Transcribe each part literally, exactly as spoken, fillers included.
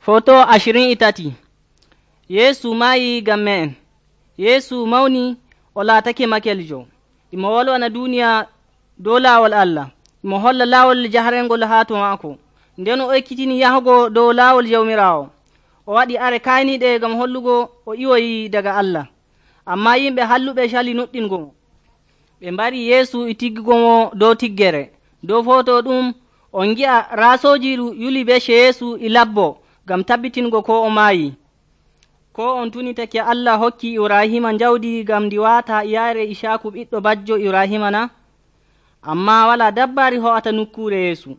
Foto ashirin e tati. Yeesu maayi ngam me'en. Yeesu mawni o laatake makeljo. Imo wolwana duuniya dow laawol Allah. Imo holla laawol jaharengol haa to maako. Nden o ekkitini yahugo dow laawol Jawmiraawo. O waɗi are kayniiɗe ngam hollugo o iwoyi daga Allah. Ammaa yimɓe halluɓe cali nuɗɗingo mo. Ɓe mbari Yeesu e tiggugo mo dow tiggere. Dow foto ɗum on ngi'a raasooji yuli becce Yeesu e labbo ngam tabbitingo ko o maayi. Ko on tunitake Allah hokki Ibrahima jawdi ngam ndi waata yaare Isaaku ɓiɗɗo bajjo Ibrahima na? Ammaa walaa dabbaari ho'ata nokkuure Yeesu.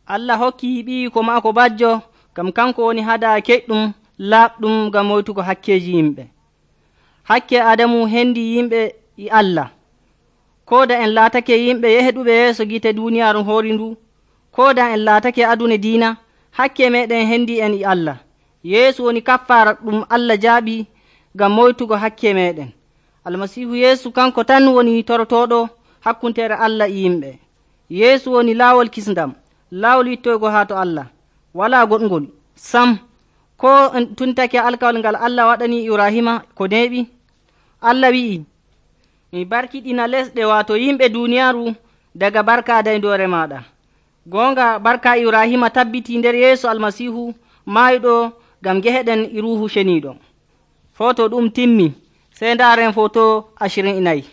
Allah hokki ɓiyi ko maako bajjo ngam kanko woni hadaa keƴɗum laaɓɗum ngam moytugo hakkeeji yimɓe. Hakke Adamu hendi yimɓe e Allah. Kooda en laatake yimɓe yeheɗuɓe yeeso gite duuniyaaru hoori ndu, kooda en laatake adune diina, hakke meɗen hendi en e Allah. Yeesu woni kaffaara ɗum Allah jaaɓi ngam moytugo hakke meɗen. Almasiihu Yeesu kanko tan woni torotooɗo hakkuntere Allah e yimɓe. Yeesu woni laawol kisndam, laawol wittoygo haa to Allah. Walaa goɗgol sam. Ko en tuntake alkawal ngal Allah waɗani Ibrahima ko neeɓi. Allah wi'i, mi barkiɗina lesɗe waato yimɓe duuniyaaru daga barka dayndoore maaɗa. Goonga barka Ibrahima tabbiti nder Yeesu Almasiihu maayɗo ngam geheɗen e Ruuhu Ceniiɗo. Foto ɗum timmi. Sey ndaaren foto ashirin e nayi.